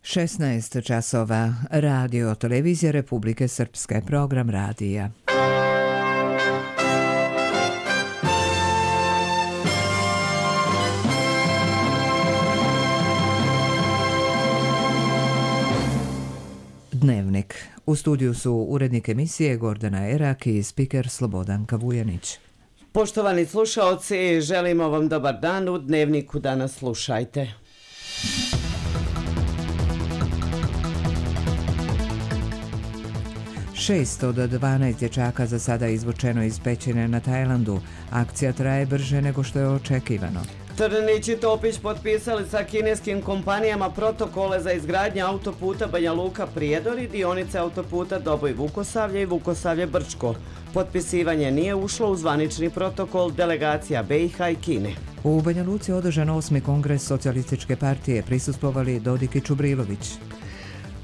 16 časova. Radio Televizija Republike Srpske. Program radija. Dnevnik. U studiju su urednik emisije Gordana Erak i spiker Slobodanka Vujanić. Poštovani slušaoci, želimo vam dobar dan. U Dnevniku danas slušajte. Šest od 12 dječaka za sada izvučeno iz pećine na Tajlandu. Akcija traje brže nego što je očekivano. Trnić i Topić potpisali sa kineskim kompanijama protokole za izgradnju autoputa Banja Luka-Prijedor i dionice autoputa Doboj-Vukosavlje i Vukosavlje-Brčko. Potpisivanje nije ušlo u zvanični protokol delegacija BiH i Kine. U Banja Luci održan 8. kongres socijalističke partije, prisustvovali Dodik i Čubrilović.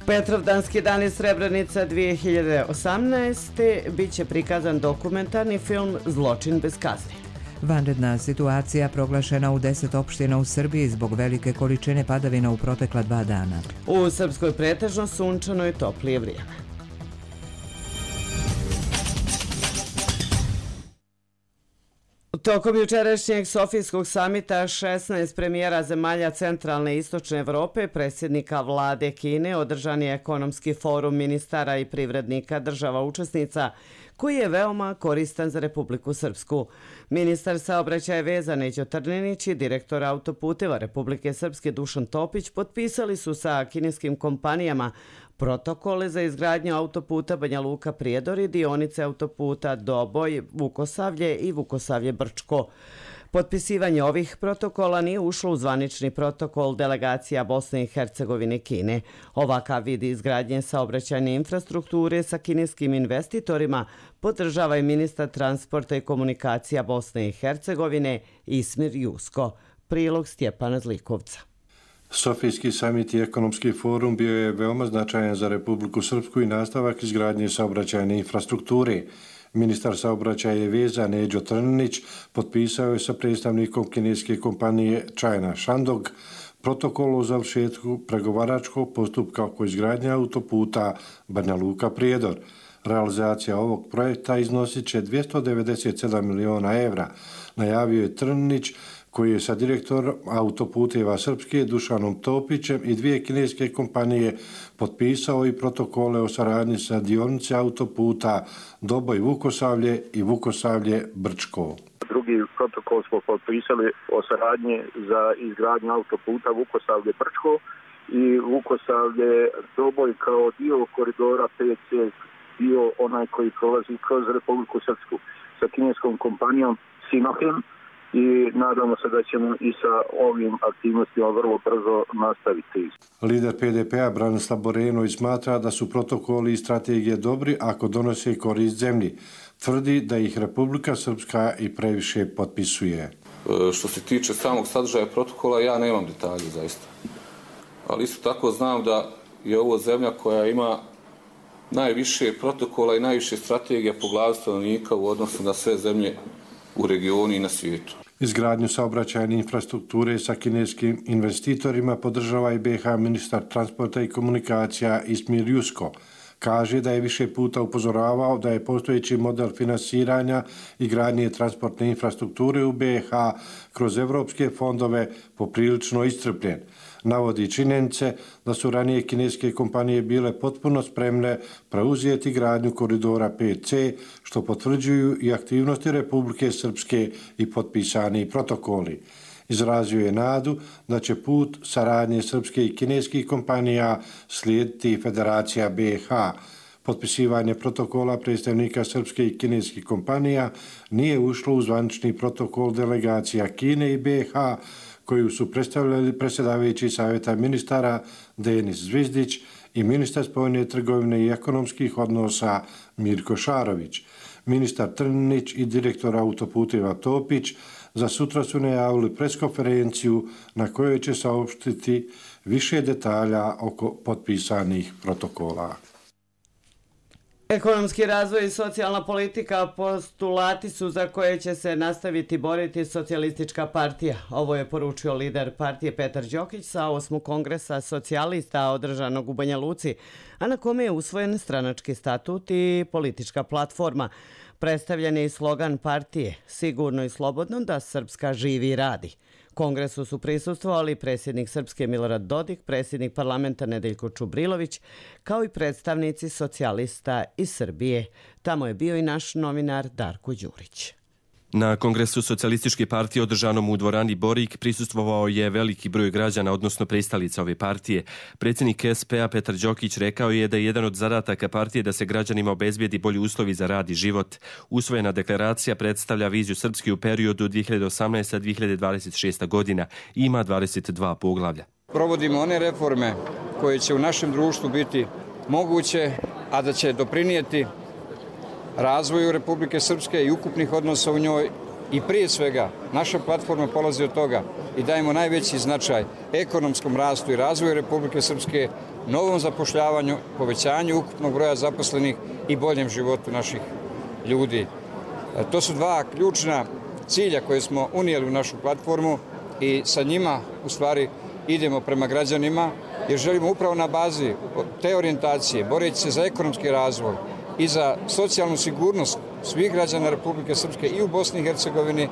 Petrovdanski dan iz Srebrenica 2018. Biće prikazan dokumentarni film Zločin bez kazni. Vanredna situacija proglašena u 10 opština u Srbiji zbog velike količine padavina u protekla 2 dana. U Srpskoj pretežno sunčano i toplije vrijeme. Tokom jučerašnjeg Sofijskog samita 16 premijera zemalja centralne i istočne Evrope, predsjednika vlade Kine, održan je ekonomski forum ministara i privrednika država učesnica, koji je veoma koristan za Republiku Srpsku. Ministar saobraćaja i veza Neđo Trninić i direktor autoputeva Republike Srpske Dušan Topić potpisali su sa kineskim kompanijama protokole za izgradnju autoputa Banja Luka-Prijedor i dionice autoputa Doboj, Vukosavlje i Vukosavlje-Brčko. Potpisivanje ovih protokola nije ušlo u zvanični protokol delegacija Bosne i Hercegovine i Kine. Ovakav vid izgradnje saobraćajne infrastrukture sa kineskim investitorima podržava i ministar transporta i komunikacija Bosne i Hercegovine Ismir Jusko. Prilog Stjepana Zlikovca. Sofijski samit i ekonomski forum bio je veoma značajan za Republiku Srpsku i nastavak izgradnje saobraćajne infrastrukture. Ministar saobraćaja i veza Neđo Trninić potpisao je sa predstavnikom kineske kompanije China Shandong protokol o završetku pregovaračkog postupka oko izgradnje autoputa Banja Luka-Prijedor. Realizacija ovog projekta iznosit će 297 miliona evra, najavio je Trninić, koji je sa direktorom autoputeva Srpske Dušanom Topićem i 2 kineske kompanije potpisao i protokole o saradnji sa dionice autoputa Doboj-Vukosavlje i Vukosavlje-Brčko. Drugi protokol smo potpisali o saradnji za izgradnju autoputa Vukosavlje-Brčko i Vukosavlje-Doboj kao dio koridora 5C, dio onaj koji prolazi kroz Republiku Srpsku sa kineskom kompanijom Sinohem. I nadamo se da ćemo i sa ovim aktivnostima vrlo brzo nastaviti. Lider PDP-a Branislav Borenović smatra da su protokoli i strategije dobri ako donose korist zemlji. Tvrdi da ih Republika Srpska i previše potpisuje. Što se tiče samog sadržaja protokola, ja nemam detalje zaista. Ali isto tako znam da je ovo zemlja koja ima najviše protokola i najviše strategija po glavi stanovnika u odnosu na sve zemlje u regionu i na svijetu. Izgradnju saobraćajne infrastrukture sa kineskim investitorima podržava i BiH ministar transporta i komunikacija Ismir Jusko. Kaže da je više puta upozoravao da je postojeći model finansiranja i gradnje transportne infrastrukture u BiH kroz evropske fondove poprilično iscrpljen. Navodi činjenice da su ranije kineske kompanije bile potpuno spremne preuzeti gradnju koridora 5C, što potvrđuju i aktivnosti Republike Srpske i potpisani protokoli. Izrazio je nadu da će put saradnje srpske i kineskih kompanija slijediti Federacija BiH. Potpisivanje protokola predstavnika srpske i kineskih kompanija nije ušlo u zvanični protokol delegacija Kine i BiH, koju su predstavljali predsjedavajući savjeta ministara Denis Zvizdić i ministar spoljne trgovine i ekonomskih odnosa Mirko Šarović. Ministar Trninić i direktor autoputeva Topić za sutra su najavili preskonferenciju na kojoj će saopštiti više detalja oko potpisanih protokola. Ekonomski razvoj i socijalna politika postulati su za koje će se nastaviti boriti Socijalistička partija. Ovo je poručio lider partije Petar Đokić sa 8. kongresa socijalista održanog u Banja Luci, a na kome je usvojen stranački statut i politička platforma. Predstavljen je i slogan partije "Sigurno i slobodno da Srpska živi i radi". Kongresu su prisustvovali predsjednik Srpske Milorad Dodik, predsjednik parlamenta Nedeljko Čubrilović, kao i predstavnici socijalista iz Srbije. Tamo je bio i naš novinar Darko Đurić. Na Kongresu Socijalističke partije održanom u dvorani Borik prisustvovao je veliki broj građana, odnosno pristalica ove partije. Predsjednik SP-a Petar Đokić rekao je da je jedan od zadataka partije da se građanima obezbijedi bolji uslovi za rad i život. Usvojena deklaracija predstavlja viziju Srpske u periodu 2018-2026. godina i ima 22 poglavlja. Provodimo one reforme koje će u našem društvu biti moguće, a da će doprinijeti razvoju Republike Srpske i ukupnih odnosa u njoj i prije svega naša platforma polazi od toga i dajemo najveći značaj ekonomskom rastu i razvoju Republike Srpske, novom zapošljavanju, povećanju ukupnog broja zaposlenih i boljem životu naših ljudi. To su dva ključna cilja koje smo unijeli u našu platformu i sa njima u stvari idemo prema građanima jer želimo upravo na bazi te orijentacije, boreći se za ekonomski razvoj i za socijalnu sigurnost svih građana Republike Srpske i u Bosni i Hercegovini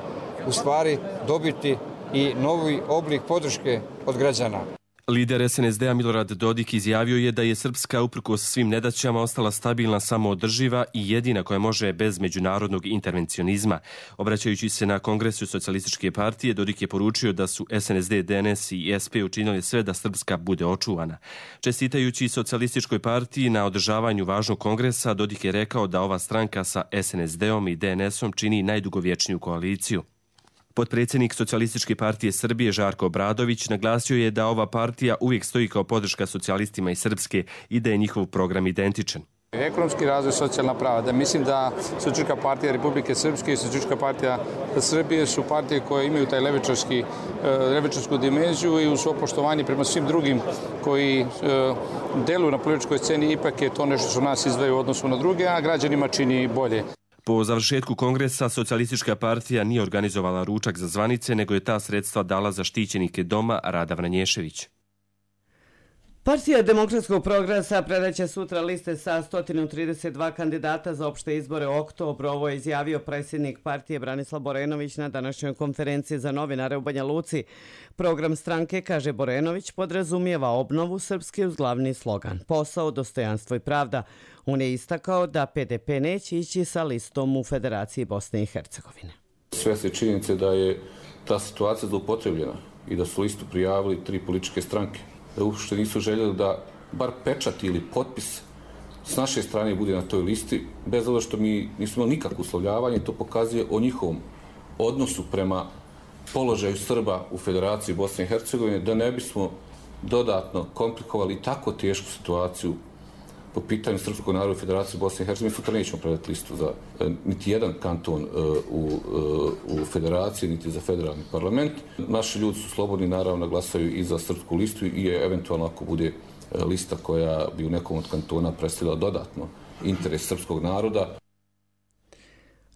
u stvari dobiti i novi oblik podrške od građana. Lider SNSD-a Milorad Dodik izjavio je da je Srpska uprkos svim nedaćama ostala stabilna, samoodrživa i jedina koja može bez međunarodnog intervencionizma. Obraćajući se na Kongresu Socijalističke partije, Dodik je poručio da su SNSD, DNS i SP učinili sve da Srpska bude očuvana. Čestitajući Socijalističkoj partiji na održavanju važnog kongresa, Dodik je rekao da ova stranka sa SNSD-om i DNS-om čini najdugovječniju koaliciju. Potpredsjednik Socijalističke partije Srbije Žarko Obradović naglasio je da ova partija uvijek stoji kao podrška socijalistima iz Srpske i da je njihov program identičan. Ekonomski razvoj, socijalna prava, da mislim da Socijalistička partija Republike Srpske i Socijalistička partija Srbije su partije koje imaju taj levičarsku dimenziju i uz svo poštovanje prema svim drugim koji deluju na političkoj sceni, ipak je to nešto što nas izdvaja u odnosu na druge, a građanima čini bolje. Po završetku kongresa Socijalistička partija nije organizovala ručak za zvanice, nego je ta sredstva dala za štićenike doma Rada Vranješević. Partija Demokratskog progresa predaće sutra liste sa 132 kandidata za opšte izbore u oktobru. Ovo je izjavio predsjednik partije Branislav Borenović na današnjoj konferenciji za novinare u Banja Luci. Program stranke, kaže Borenović, podrazumijeva obnovu Srpske uz glavni slogan "Posao, dostojanstvo i pravda". On je istakao da PDP neće ići sa listom u Federaciji Bosne i Hercegovine. Svjesni činjenice da je ta situacija zloupotrebljena i da su listu prijavili 3 političke stranke, da uopšte nisu željeli da bar pečat ili potpis s naše strane bude na toj listi, bez obzira što mi nismo imali nikakvo uslovljavanje, to pokazuje o njihovom odnosu prema položaju Srba u Federaciji Bosne i Hercegovine, da ne bismo dodatno komplikovali tako tešku situaciju po pitanju srpskog naroda u Federaciji Bosne i Hercegovine. Sutra nećemo predati listu za niti jedan kanton u Federaciji, niti za federalni parlament. Naši ljudi su slobodni, naravno, glasaju i za srpsku listu i eventualno ako bude lista koja bi u nekom od kantona predstavila dodatno interes srpskog naroda.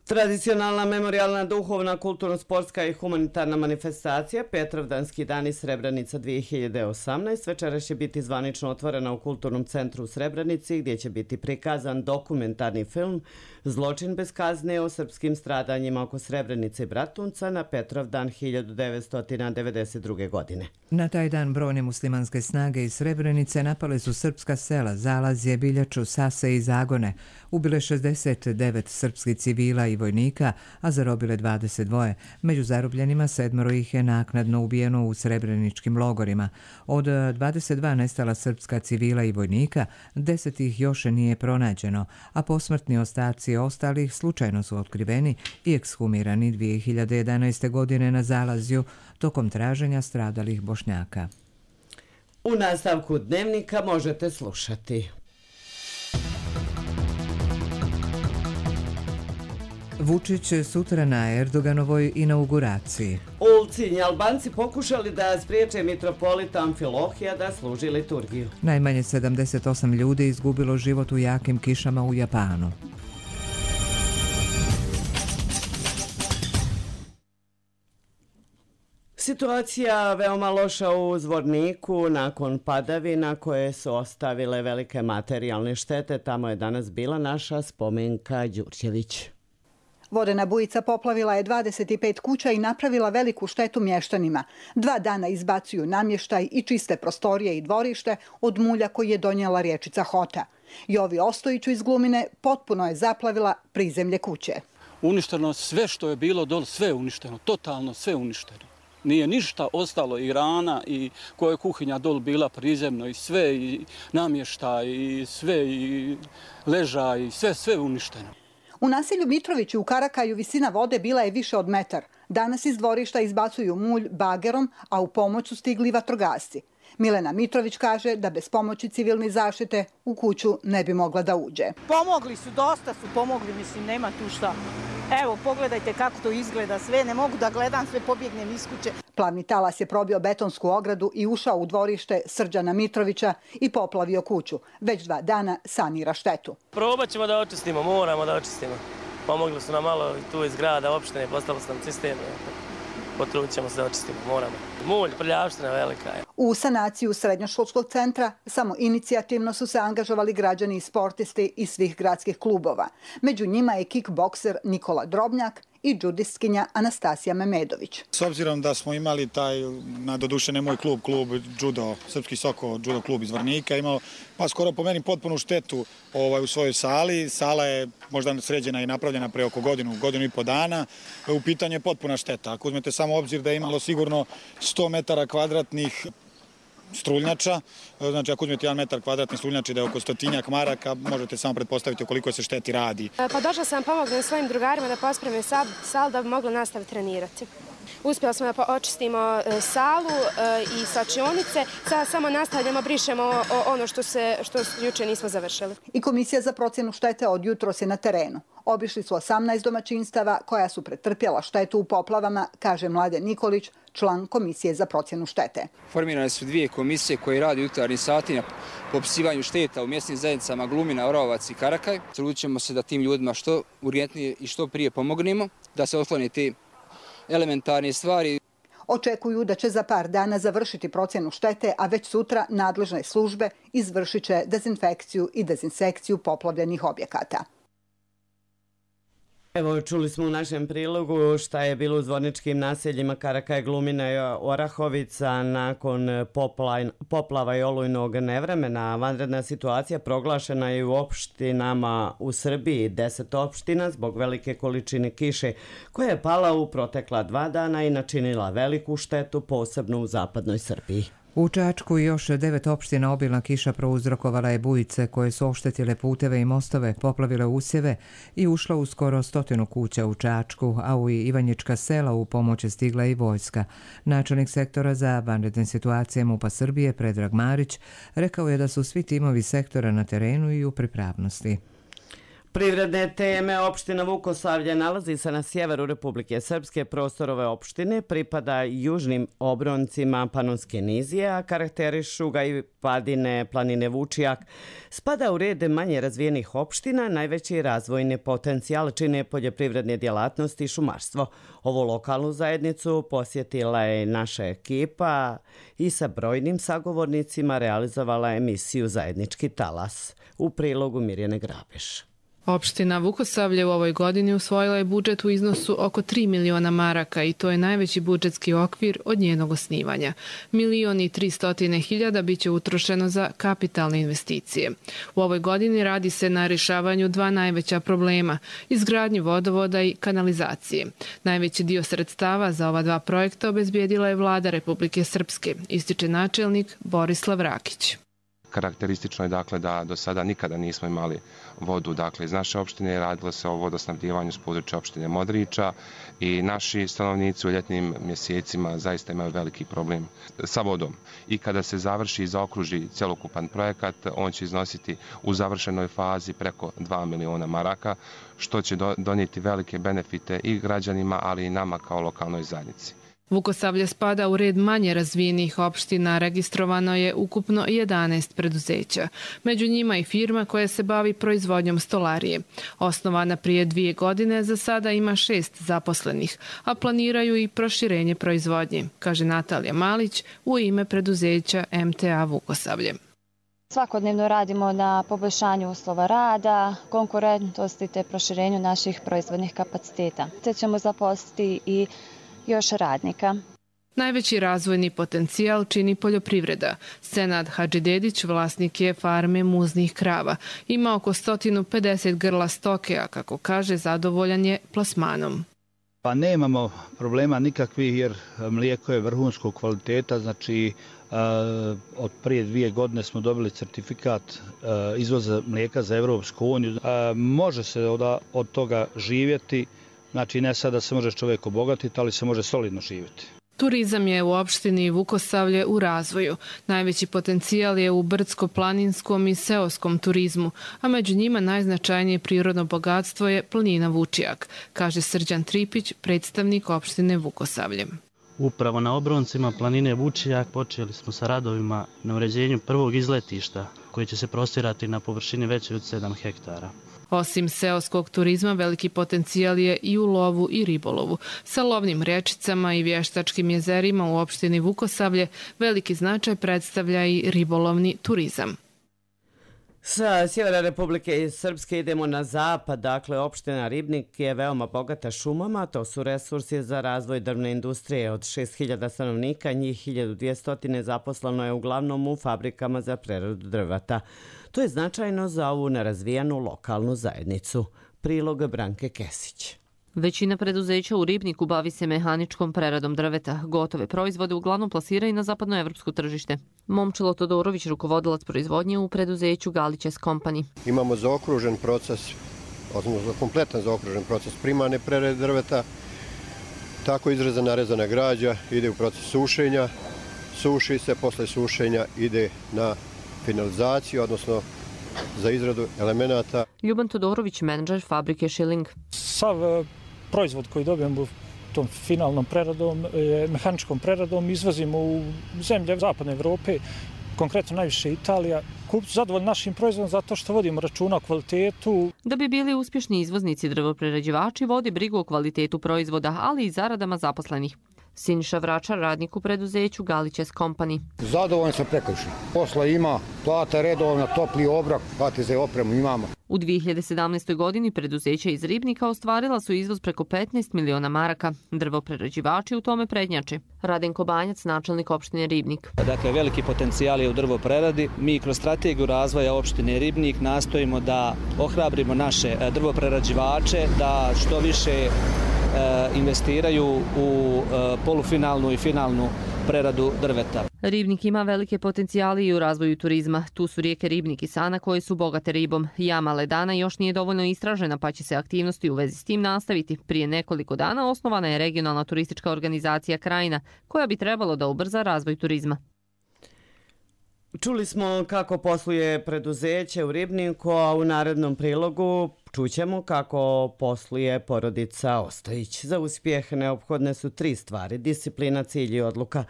Tradicionalna memorijalna, duhovna, kulturno-sportska i humanitarna manifestacija Petrovdanski dani Srebrenica 2018 večeras će biti zvanično otvorena u Kulturnom centru u Srebrenici, gdje će biti prikazan dokumentarni film "Zločin bez kazne" o srpskim stradanjima oko Srebrenice i Bratunca na Petrovdan 1992. godine. Na taj dan brojne muslimanske snage iz Srebrenice napale su srpska sela Zalazje, Biljaču, Sase i Zagone. Ubile 69 srpskih civila i vojnika, a zarobile 22. Među zarobljenima 7 ih je naknadno ubijeno u srebreničkim logorima. Od 22 nestala srpska civila i vojnika, 10 ih još nije pronađeno, a posmrtni ostaci ostalih slučajno su otkriveni i ekshumirani 2011. godine na Zalazju tokom traženja stradalih Bošnjaka. U nastavku dnevnika možete slušati. Vučić sutra na Erdoganovoj inauguraciji. U Ulcinji Albanci pokušali da spriječe mitropolita Amfilohija da služi liturgiju. Najmanje 78 ljudi izgubilo život u jakim kišama u Japanu. Situacija veoma loša u Zvorniku nakon padavina koje su ostavile velike materijalne štete. Tamo je danas bila naša Spomenka Đurđević. Vodena bujica poplavila je 25 kuća i napravila veliku štetu mještanima. 2 dana izbacuju namještaj i čiste prostorije i dvorište od mulja koji je donijela riječica Hota. Jovi Ostojiću iz Glumine potpuno je zaplavila prizemlje kuće. Uništeno sve što je bilo dole, sve je uništeno, totalno sve uništeno. Nije ništa ostalo, i rana, i koja je kuhinja dol bila prizemno, i sve, i namještaj, i sve, i ležaj, i sve uništeno. U naselju Mitrovići u Karakaju visina vode bila je više od metar. Danas iz dvorišta izbacuju mulj bagerom, a u pomoć su stigli vatrogasci. Milena Mitrović kaže da bez pomoći civilne zaštite u kuću ne bi mogla da uđe. Pomogli su, dosta su pomogli, mislim, nema tu šta. Evo, pogledajte kako to izgleda sve, ne mogu da gledam, sve pobjegnem iz kuće. Plavni talas je probio betonsku ogradu i ušao u dvorište Srđana Mitrovića i poplavio kuću. Već 2 dana sanira štetu. Probat ćemo da očistimo, moramo da očistimo. Pomogli su nam malo tu iz grada, opštine, postalo su nam cisterne. Potrudit ćemo se da očistimo, moramo. Mulj, prljavština velika je. U sanaciju srednjoškolskog centra samo inicijativno su se angažovali građani i sportisti iz svih gradskih klubova. Među njima je kickbokser Nikola Drobnjak i džudistkinja Anastasija Memedović. S obzirom da smo imali taj, doduše ne moj klub judo, Srpski Soko judo klub iz Zvornika, imao pa skoro po meni potpunu štetu u svojoj sali. Sala je možda sređena i napravljena pre oko godinu i po dana. U pitanju je potpuna šteta. Ako uzmete samo obzir da je imalo sigurno 100 metara kvadratnih struljnjača, znači ako uzmete 1 metar kvadratni struljnjači da je oko 100-tinjak maraka, možete samo pretpostaviti o koliko se šteti radi. Pa došla sam pomognem svojim drugarima da pospreme salu da bi mogla nastaviti trenirati. Uspjeli smo da očistimo salu i slačionice, sada samo nastavljamo, brišemo ono što juče nismo završili. I Komisija za procjenu štete od jutros je na terenu. Obišli su 18 domaćinstava koja su pretrpjela štetu u poplavama, kaže Mladen Nikolić, član Komisije za procjenu štete. Formirane su 2 komisije koje radi u jutarnjim satima po opisivanju šteta u mjesnim zajednicama Glumina, Orlovac i Karakaj. Trudit ćemo se da tim ljudima što urgentnije i što prije pomognemo, da se otklone te elementarne stvari. Očekuju da će za par dana završiti procjenu štete, a već sutra nadležne službe izvršit će dezinfekciju i dezinsekciju poplavljenih objekata. Evo, čuli smo u našem prilogu šta je bilo u zvorničkim naseljima Karakaj, Glumina i Orahovica nakon poplava i olujnog nevremena. Vanredna situacija proglašena je u opštinama u Srbiji, 10 opština zbog velike količine kiše koja je pala u protekla 2 dana i načinila veliku štetu, posebno u zapadnoj Srbiji. U Čačku još 9 opština obilna kiša prouzrokovala je bujice koje su oštetile puteve i mostove, poplavile usjeve i ušla u skoro 100 kuća u Čačku, a u Ivanjička sela u pomoć je stigla i vojska. Načelnik sektora za vanredne situacije MUP-a Srbije, Predrag Marić, rekao je da su svi timovi sektora na terenu i u pripravnosti. Privredne teme. Opština Vukosavlje nalazi se na sjeveru Republike Srpske. Prostor ove opštine pripada južnim obroncima Panonske nizije, a karakterišu ga i padine planine Vučijak. Spada u red manje razvijenih opština, najveći razvojni potencijal čine poljoprivredne djelatnosti i šumarstvo. Ovu lokalnu zajednicu posjetila je naša ekipa i sa brojnim sagovornicima realizovala emisiju Zajednički talas. U prilogu Mirjane Grabeš. Opština Vukosavlje u ovoj godini usvojila je budžet u iznosu oko 3 miliona maraka i to je najveći budžetski okvir od njenog osnivanja. 1.300.000 biće utrošeno za kapitalne investicije. U ovoj godini radi se na rješavanju 2 najveća problema, izgradnju vodovoda i kanalizacije. Najveći dio sredstava za ova 2 projekta obezbijedila je vlada Republike Srpske, ističe načelnik Borislav Rakić. Karakteristično je dakle da do sada nikada nismo imali vodu iz naše opštine, radilo se o vodosnabdijevanju s područja opštine Modriča i naši stanovnici u ljetnim mjesecima zaista imaju veliki problem sa vodom. I kada se završi i zaokruži cjelokupan projekat, on će iznositi u završenoj fazi preko 2 miliona maraka, što će donijeti velike benefite i građanima, ali i nama kao lokalnoj zajednici. Vukosavlje spada u red manje razvijenih opština, registrovano je ukupno 11 preduzeća. Među njima i firma koja se bavi proizvodnjom stolarije. Osnovana prije 2 godine, za sada ima 6 zaposlenih, a planiraju i proširenje proizvodnje, kaže Natalija Malić u ime preduzeća MTA Vukosavlje. Svakodnevno radimo na poboljšanju uslova rada, konkurentnosti te proširenju naših proizvodnih kapaciteta. Te ćemo zaposliti i još radnika. Najveći razvojni potencijal čini poljoprivreda. Senad Hadžidedić, vlasnik je farme muznih krava. Ima oko 150 grla stoke, a kako kaže, zadovoljan je plasmanom. Pa nemamo problema nikakvih jer mlijeko je vrhunskog kvaliteta, znači od prije 2 godine smo dobili certifikat izvoza mlijeka za Evropsku uniju. Može se od toga živjeti. Znači ne sada se može čovjek obogatiti, ali se može solidno živjeti. Turizam je u opštini Vukosavlje u razvoju. Najveći potencijal je u brdsko-planinskom i seoskom turizmu, a među njima najznačajnije prirodno bogatstvo je planina Vučijak, kaže Srđan Tripić, predstavnik opštine Vukosavlje. Upravo na obroncima planine Vučijak počeli smo sa radovima na uređenju prvog izletišta koje će se prostirati na površini veće od 7 hektara. Osim seoskog turizma, veliki potencijal je i u lovu i ribolovu. Sa lovnim rečicama i vještačkim jezerima u opštini Vukosavlje veliki značaj predstavlja i ribolovni turizam. Sa sjevera Republike Srpske idemo na zapad, dakle opština Ribnik je veoma bogata šumama, to su resursi za razvoj drvne industrije. Od 6.000 stanovnika, njih 1.200 zaposleno je uglavnom u fabrikama za preradu drveta. To je značajno za ovu nerazvijanu lokalnu zajednicu. Prilog Branke Kesić. Većina preduzeća u Ribniku bavi se mehaničkom preradom drveta. Gotove proizvode uglavnom plasiraju na zapadnoevropsko tržište. Momčilo Todorović, rukovodilac proizvodnje u preduzeću Galićes Company. Imamo zaokružen proces, odnosno kompletan zaokružen proces primarne prerade drveta. Tako izrezana rezana građa ide u proces sušenja, suši se, posle sušenja ide na finalizaciju, odnosno za izradu elemenata. Ljuban Todorović, menadžer fabrike Schilling. Sav proizvod koji dobijemo tom finalnom preradom, mehaničkom preradom, izvozimo u zemlje zapadne Evrope, konkretno najviše Italija. Kupci zadovoljni našim proizvodom zato što vodimo računa o kvalitetu. Da bi bili uspješni izvoznici, drvoprerađivači vode brigu o kvalitetu proizvoda, ali i zaradama zaposlenih. Siniša Vračar, radnik u preduzeću Galićes Company. Zadovoljni smo prekršeni. Posla ima, plata redovna, topli obrok, HTZ opremu imamo. U 2017. godini preduzeća iz Ribnika ostvarila su izvoz preko 15 miliona maraka. Drvoprerađivači u tome prednjače. Radenko Banjac, načelnik opštine Ribnik. Dakle, veliki potencijal je u drvopreradi. Mi kroz strategiju razvoja opštine Ribnik nastojimo da ohrabrimo naše drvoprerađivače, da što više investiraju u polufinalnu i finalnu preradu drveta. Ribnik ima velike potencijale i u razvoju turizma. Tu su rijeke Ribnik i Sana koje su bogate ribom. Jama Ledana još nije dovoljno istražena, pa će se aktivnosti u vezi s tim nastaviti. Prije nekoliko dana osnovana je regionalna turistička organizacija Krajina, koja bi trebalo da ubrza razvoj turizma. Čuli smo kako posluje preduzeće u Ribniku, a u narednom prilogu čućemo kako posluje porodica Ostojić. Za uspjeh neophodne su 3 stvari: disciplina, cilj i odluka.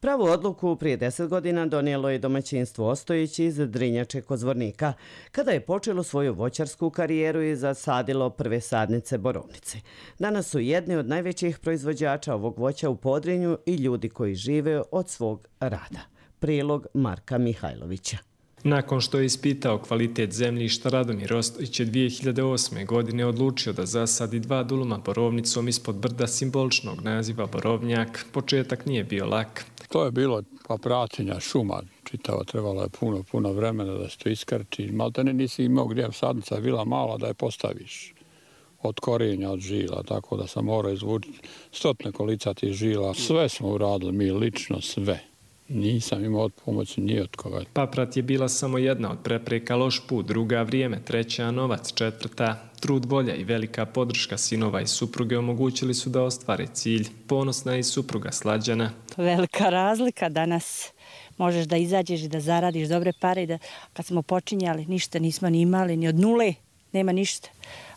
Pravu odluku prije 10 godina donijelo je domaćinstvo Ostojić iz Drinjače kod Zvornika, kada je počelo svoju voćarsku karijeru i zasadilo prve sadnice borovnice. Danas su jedni od najvećih proizvođača ovog voća u Podrinju i ljudi koji žive od svog rada. Prilog Marka Mihajlovića. Nakon što je ispitao kvalitet zemljišta, Radomir Ostojić je 2008. godine odlučio da zasadi 2 duluma borovnicom ispod brda simboličnog naziva Borovnjak. Početak nije bio lak. To je bilo praćenja šuma čitava, trebalo je puno vremena da se to iskrči. Maltene nisi imao gdje, sadnica bila mala da je postaviš od korenja, od žila, tako da sam morao izvući 100 kolica tih žila. Sve smo uradili mi lično, sve. nisam imao od pomoći ni od koga. Paprat je bila samo jedna od prepreka, loš put, druga vrijeme, treća novac, četvrta trud, volja i velika podrška sinova i supruge omogućili su da ostvare cilj. Ponosna je i supruga Slađana. Velika razlika danas. Možeš da izađeš i da zaradiš dobre pare. Da, kad smo počinjali, ništa nismo ni imali, ni od nule, nema ništa.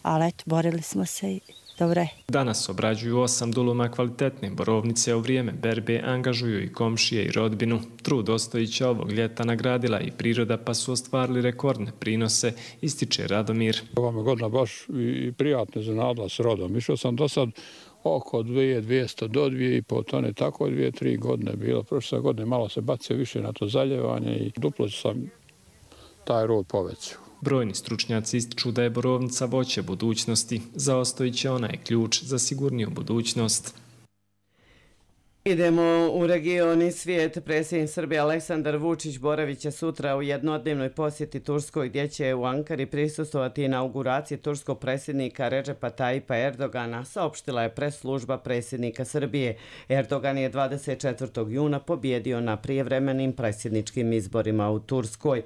Ali eto, borili smo se i dobro je. Danas obrađuju 8 duluma kvalitetne borovnice, u vrijeme berbe angažuju i komšije i rodbinu. Trud Ostojića ovog ljeta nagradila i priroda, pa su ostvarili rekordne prinose, ističe Radomir. Ova me godina baš i prijatno iznenadila s rodom. Išao sam do sad oko 2200 do 2,5 tone, tako 2-3 godine bilo. Prošle godine malo se bacio više na to zaljevanje i duplo sam taj rod povećao. Brojni stručnjaci ističu da je borovnica voće budućnosti. Za Ostojića ona je ključ za sigurniju budućnost. Idemo u region i svijet. Predsjednik Srbije Aleksandar Vučić boravit će sutra u jednodnevnoj posjeti Turskoj, gdje će u Ankari prisustvovati inauguraciji turskog predsjednika Redžepa Tajipa Erdogana, saopštila je press-služba predsjednika Srbije. Erdogan je 24. juna pobjedio na prijevremenim predsjedničkim izborima u Turskoj.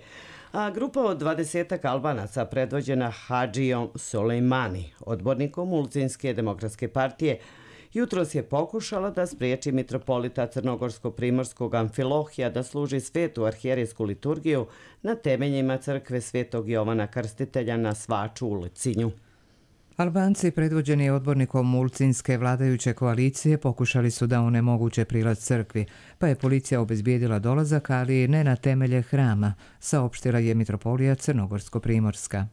A grupa od 20 Albanaca predvođena Hadžijom Sulejmani, odbornikom Ulcinske demokratske partije, jutros je pokušala da spriječi mitropolita Crnogorsko-Primorskog Amfilohija da služi svetu arhijerijsku liturgiju na temeljima crkve Svetog Jovana Krstitelja na Svaču u Ulcinju. Albanci, predvođeni odbornikom Ulcinske vladajuće koalicije, pokušali su da onemoguće prilaz crkvi, pa je policija obezbijedila dolazak, ali ne na temelje hrama, saopštila je mitropolija Crnogorsko-Primorska.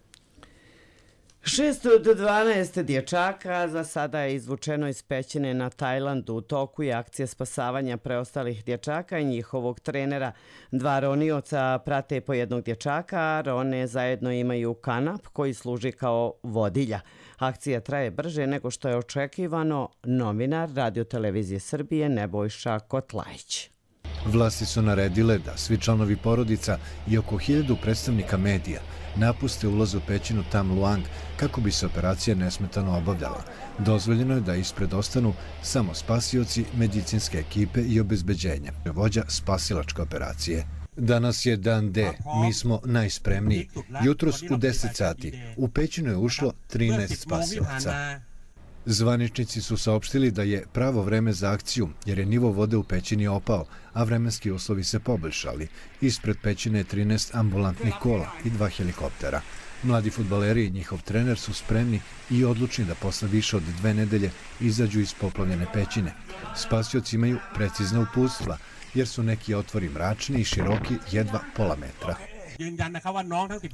6 od 12 dječaka za sada je izvučeno iz pećine na Tajlandu. U toku je akcija spasavanja preostalih dječaka i njihovog trenera. 2 ronioca prate po jednog dječaka, a rone zajedno imaju kanap koji služi kao vodilja. Akcija traje brže nego što je očekivano. Novinar Radio-televizije Srbije Nebojša Kotlajić. Vlasti su naredile da svi članovi porodica i oko 1000 predstavnika medija napuste ulaz u pećinu Tam Luang kako bi se operacija nesmetano obavljala. Dozvoljeno je da ispred ostanu samo spasioci, medicinske ekipe i obezbeđenje, vođa spasilačke operacije. Danas je dan D, mi smo najspremniji. Jutros u 10 sati u pećinu je ušlo 13 spasilaca. Zvaničnici su saopštili da je pravo vreme za akciju, jer je nivo vode u pećini opao, a vremenski uslovi se poboljšali. Ispred pećine je 13 ambulantnih kola i 2 helikoptera. Mladi fudbaleri i njihov trener su spremni i odlučni da posle više od 2 nedelje izađu iz poplavljene pećine. Spasioci imaju precizna uputstva, jer su neki otvori mračni i široki jedva pola metra.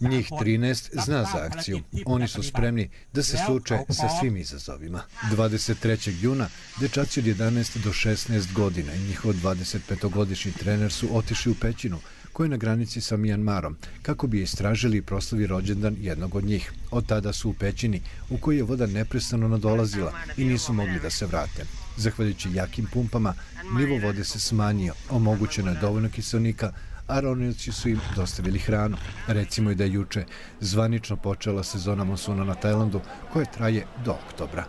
Njih 13 zna za akciju. Oni su spremni da se suoče sa svim izazovima. 23. juna dečaci od 11 do 16 godina i njihov 25-godišnji trener su otišli u pećinu koja je na granici sa Mijanmarom, kako bi istražili i proslavi rođendan jednog od njih. Od tada su u pećini u kojoj je voda neprestano nadolazila i nisu mogli da se vrate. Zahvaljujući jakim pumpama, nivo vode se smanjio, omogućeno je dovoljno kiselnika, a ronioci su im dostavili hranu. Recimo i da je juče zvanično počela sezona monsuna na Tajlandu, koja traje do oktobra.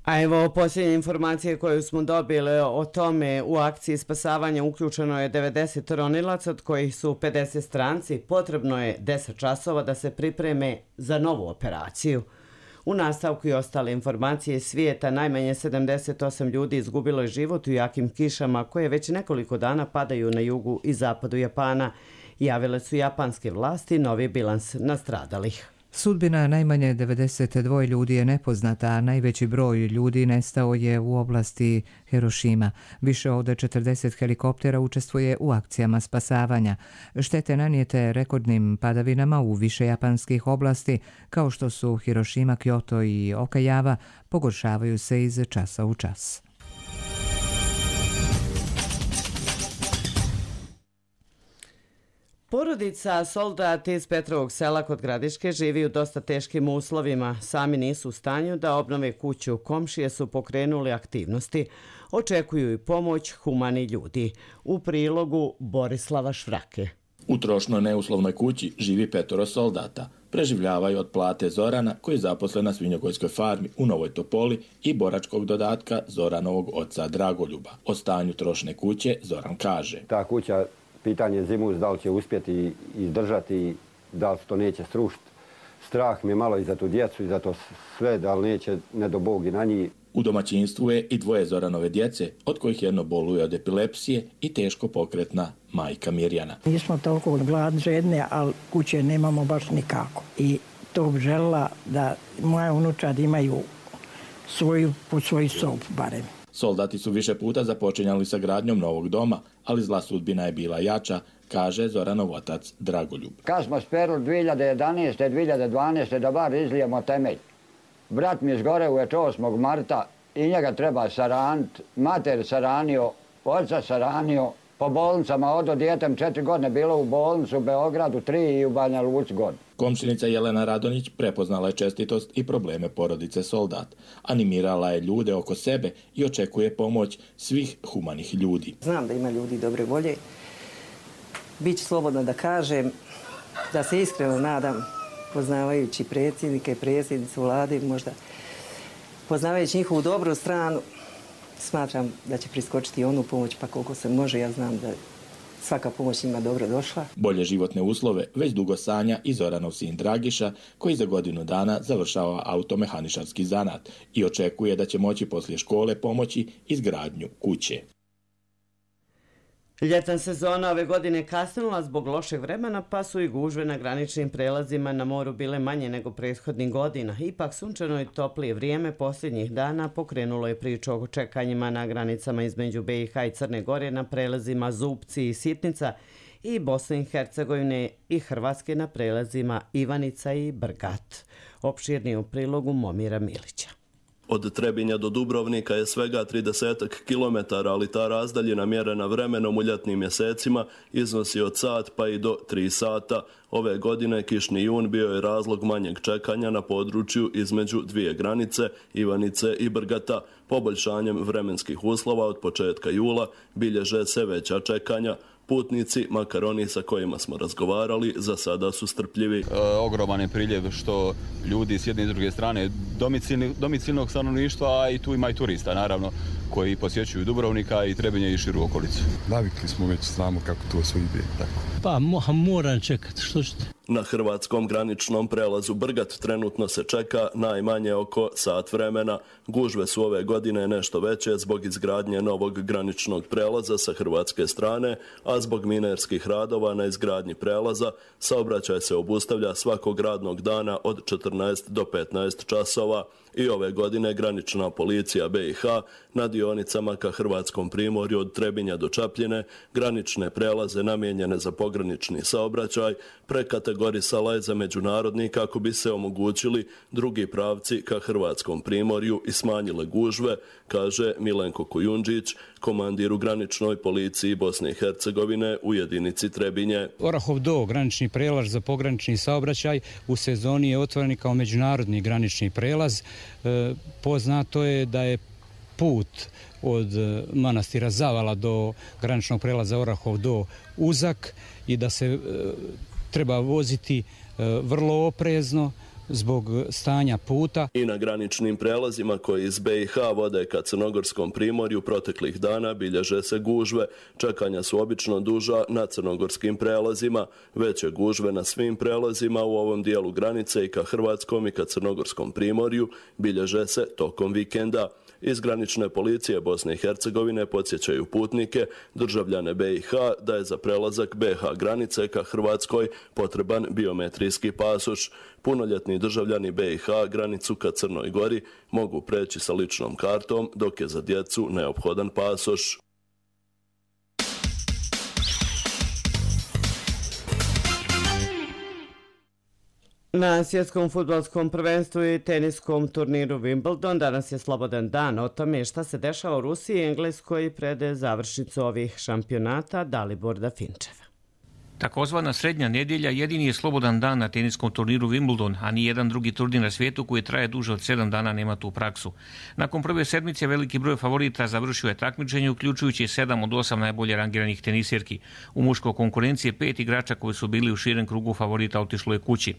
A evo posljednje informacije koje smo dobili o tome. U akciji spasavanja uključeno je 90 ronilaca, od kojih su 50 stranci. Potrebno je 10 časova da se pripreme za novu operaciju. U nastavku i ostale informacije iz svijeta, najmanje 78 ljudi izgubilo je život u jakim kišama koje već nekoliko dana padaju na jugu i zapadu Japana. Javile su japanske vlasti novi bilans nastradalih. Sudbina najmanje 92 ljudi je nepoznata, a najveći broj ljudi nestao je u oblasti Hirošima. Više od 40 helikoptera učestvuje u akcijama spasavanja. Štete nanijete rekordnim padavinama u više japanskih oblasti, kao što su Hirošima, Kyoto i Okayama, pogoršavaju se iz časa u čas. Porodica Soldat iz Petrovog sela kod Gradiške živi u dosta teškim uslovima. Sami nisu u stanju da obnove kuću. Komšije su pokrenuli aktivnosti. Očekuju i pomoć humani ljudi. U prilogu Borislava Švrake. U trošnoj neuslovnoj kući živi 5 soldata. preživljavaju od plate Zorana koji je zaposlen na svinjogojskoj farmi u Novoj Topoli i boračkog dodatka Zoranovog oca Dragoljuba. O stanju trošne kuće Zoran kaže. Ta kuća, pitanje zimus, da li će uspjeti izdržati, da li to neće srušiti. Strah mi je malo i za tu djecu i za to sve, da li neće, ne do Bog i na njih. U domaćinstvu je i dvoje Zoranove djece, od kojih jedno boluje od epilepsije i teško pokretna majka Mirjana. Nismo toliko gladni, žedne, ali kuće nemamo baš nikako. I to bi željela da moja unučad imaju po svoju sobu barem. Soldati su više puta započinjali sa gradnjom novog doma, ali zla sudbina je bila jača, kaže Zoranov otac Dragoljub. Kad smo sperili 2011. 2012. da bar izlijemo temelj. Brat mi izgore uveče 8. marta i njega treba saraniti. Mater saranio, oca saranio, po bolnicama odo djetem 4 godine bilo u bolnicu u Beogradu, 3 i u Banja Luci godinu. Komšinica Jelena Radonjić prepoznala je čestitost i probleme porodice Soldat. Animirala je ljude oko sebe i očekuje pomoć svih humanih ljudi. Znam da ima ljudi dobre volje. Biću slobodno da kažem da se iskreno nadam, poznavajući predsjednike i predsjednicu vlade, možda poznavajući njihovu dobru stranu, smatram da će priskočiti onu pomoć, pa koliko se može, ja znam da svaka pomoć njima dobro došla. Bolje životne uslove već dugo sanja i Zoranov sin Dragiša, koji za godinu dana završava automehaničarski zanat i očekuje da će moći poslije škole pomoći izgradnju kuće. Ljetna sezona ove godine kasnila zbog lošeg vremena, pa su i gužve na graničnim prelazima na moru bile manje nego prethodnih godina. Ipak sunčano i toplije vrijeme posljednjih dana pokrenulo je priču o čekanjima na granicama između BiH i Crne Gore na prelazima Zupci i Sitnica i Bosne i Hercegovine i Hrvatske na prelazima Ivanica i Brgat. Opširnije u prilogu Momira Milića. Od Trebinja do Dubrovnika je svega 30 km, ali ta razdaljina mjerena vremenom u ljetnim mjesecima iznosi od sat pa i do 3 sata. Ove godine kišni jun bio je razlog manjeg čekanja na području između dvije granice, Ivanice i Brgata. Poboljšanjem vremenskih uslova od početka jula bilježe se veća čekanja. Putnici, makar oni sa kojima smo razgovarali, za sada su strpljivi. Ogroman je priljev što ljudi s jedne i druge strane domicilnog stanovništva, a i tu ima i turista, naravno, koji posjećuju Dubrovnika i Trebinje i širu okolicu. Navikli smo već, znamo kako to sve ide. Tako. Pa moram čekati, što ćete? Na hrvatskom graničnom prelazu Brgat trenutno se čeka najmanje oko sat vremena. Gužve su ove godine nešto veće zbog izgradnje novog graničnog prelaza sa hrvatske strane, a zbog minerskih radova na izgradnji prelaza saobraćaj se obustavlja svakog radnog dana od 14 do 15 časova. I ove godine granična policija BiH na dionicama ka hrvatskom primorju od Trebinja do Čapljine granične prelaze namijenjene za pogranični saobraćaj prekategorisala je za međunarodni kako bi se omogućili drugi pravci ka hrvatskom primorju i smanjile gužve, kaže Milenko Kujundžić, komandir u graničnoj policiji Bosne i Hercegovine u jedinici Trebinje. Orahov Do, granični prelaz za pogranični saobraćaj, u sezoni je otvoren kao međunarodni granični prelaz. Poznato je da je put od manastira Zavala do graničnog prelaza Orahov Do uzak i da se treba voziti vrlo oprezno zbog stanja puta. I na graničnim prelazima koji iz BiH vode ka crnogorskom primorju proteklih dana bilježe se gužve. Čekanja su obično duža na crnogorskim prelazima. Veće gužve na svim prelazima u ovom dijelu granice i ka hrvatskom i ka crnogorskom primorju bilježe se tokom vikenda. Iz granične policije Bosne i Hercegovine podsjećaju putnike, državljane BiH, da je za prelazak BiH granice ka Hrvatskoj potreban biometrijski pasoš. Punoljetni državljani BiH granicu ka Crnoj Gori mogu preći sa ličnom kartom, dok je za djecu neophodan pasoš. Na svjetskom fudbalskom prvenstvu i teniskom turniru Wimbledon danas je slobodan dan. O tome šta se dešava u Rusiji i Engleskoj pred završnicu ovih šampionata Dalibor Dafinčeva. Takozvana srednja nedjelja jedini je slobodan dan na teniskom turniru Wimbledon, a ni jedan drugi turnir na svijetu koji traje duže od 7 dana nema tu praksu. Nakon prve sedmice veliki broj favorita završio je takmičenje, uključujući 7 od 8 najbolje rangiranih tenisirki. U muškoj konkurenciji 5 igrača koji su bili u širem krugu favorita otišlo je kući.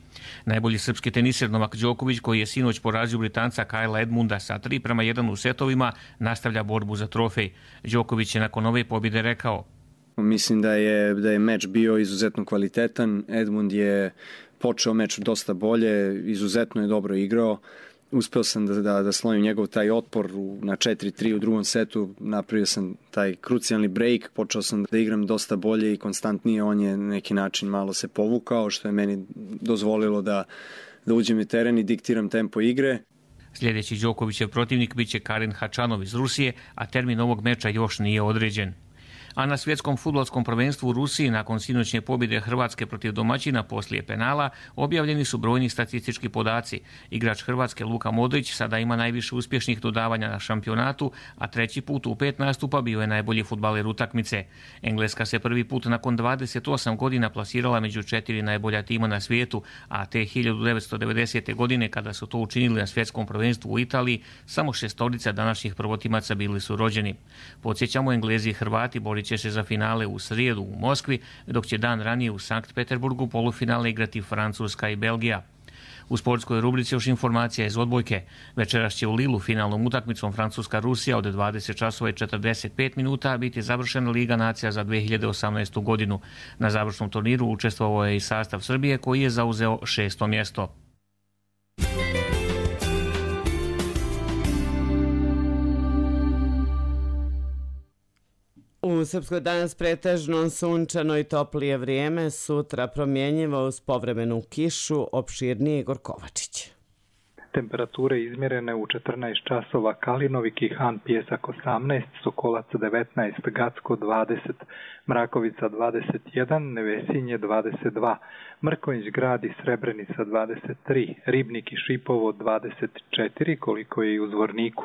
Najbolji srpski tenisir Novak Đoković, koji je sinoć porazio Britanca Kajla Edmunda sa 3:1 u setovima, nastavlja borbu za trofej. Đoković je nakon ove pobjede rekao: Mislim da je meč bio izuzetno kvalitetan. Edmund je počeo meč dosta bolje, izuzetno je dobro igrao. Uspeo sam da slovim njegov taj otpor na 4-3 u drugom setu. Napravio sam taj krucijalni break, počeo sam da igram dosta bolje i konstantnije. On je na neki način malo se povukao, što je meni dozvolilo da uđem u teren i diktiram tempo igre. Sljedeći Đokovićev protivnik biće Karen Hačanov iz Rusije, a termin ovog meča još nije određen. A na svjetskom fudbalskom prvenstvu u Rusiji nakon sinoćnje pobjede Hrvatske protiv domaćina poslije penala objavljeni su brojni statistički podaci. Igrač Hrvatske Luka Modrić sada ima najviše uspješnih dodavanja na šampionatu, a treći put u 5 nastupa bio je najbolji fudbaler utakmice. Engleska se prvi put nakon 28 godina plasirala među 4 najbolja tima na svijetu, a te 1990. godine kada su to učinili na svjetskom prvenstvu u Italiji, samo 6 današnjih prvotimaca bili su rođeni. Podsjećamo, Englezi i Hrvati će se za finale u srijedu u Moskvi, dok će dan ranije u Sankt Peterburgu polufinale igrati Francuska i Belgija. U sportskoj rubrici još informacija iz odbojke. Večeras će u Lilu finalnom utakmicom Francuska-Rusija od 20:45 biti završena Liga nacija za 2018. godinu. Na završnom turniru učestvovao je i sastav Srbije koji je zauzeo 6. mjesto. U Srpskoj danas pretežno sunčano i toplije vrijeme, sutra promjenjivo uz povremenu kišu, opširnije Igor Kovačić. Temperature izmjerene u 14 časova: Kalinovi, Kihan, Pjesak 18, Sokolac 19, Gacko 20, Mrakovica 21, Nevesinje 22, Mrkonjić Grad i Srebrenica 23, Ribnik i Šipovo 24, koliko je i u Zvorniku.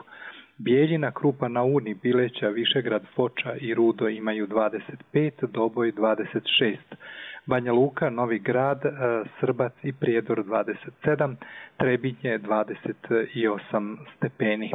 Bijeljina, Krupa na Uni, Bileća, Višegrad, Foča i Rudo imaju 25, Doboj 26, Banja Luka, Novi Grad, Srbac i Prijedor 27, Trebinje 28 stepeni.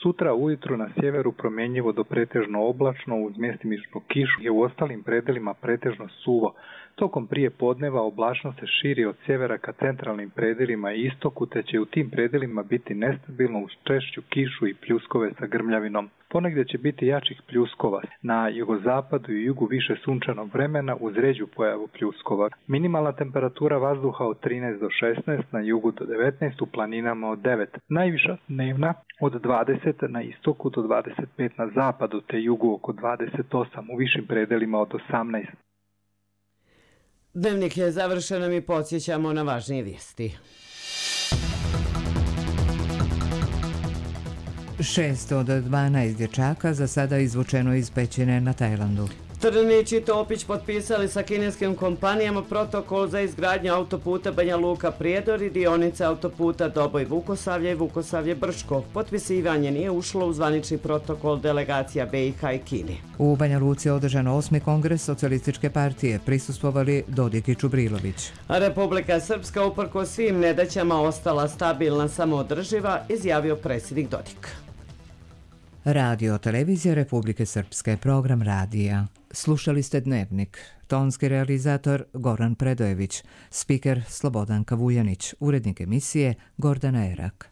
Sutra ujutru na sjeveru promjenjivo do pretežno oblačno uz mjestimičnu kišu i u ostalim predelima pretežno suvo. Tokom prije podneva oblačnost se širi od sjevera ka centralnim predelima i istoku, te će u tim predelima biti nestabilno uz češću kišu i pljuskove sa grmljavinom. Ponegdje će biti jačih pljuskova. Na jugozapadu i jugu više sunčanog vremena uz ređu pojavu pljuskova. Minimalna temperatura vazduha od 13 do 16, na jugu do 19, u planinama od 9. Najviša dnevna od 20 na istoku do 25 na zapadu, te jugu oko 28, u višim predelima od 18. Dnevnik je završen, mi podsjećamo na važnije vijesti. 6 od 12 dječaka za sada izvučeno iz pećine na Tajlandu. Trnić i Topić potpisali sa kineskim kompanijama protokol za izgradnju autoputa Banja Luka-Prijedor i dionice autoputa Doboj-Vukosavlje i Vukosavlje-Brčko. Potpisivanje nije ušlo u zvanični protokol delegacija BiH i Kine. U Banja Luci je održan 8. kongres Socijalističke partije, prisustvovali Dodik i Čubrilović. Republika Srpska uprko svim nedaćama ostala stabilna, samoodrživa, izjavio predsjednik Dodik. Radio Televizija Republike Srpske, program radija. Slušali ste Dnevnik. Tonski realizator Goran Predojević, spiker Slobodan Kavujanić, urednik emisije Gordana Erak.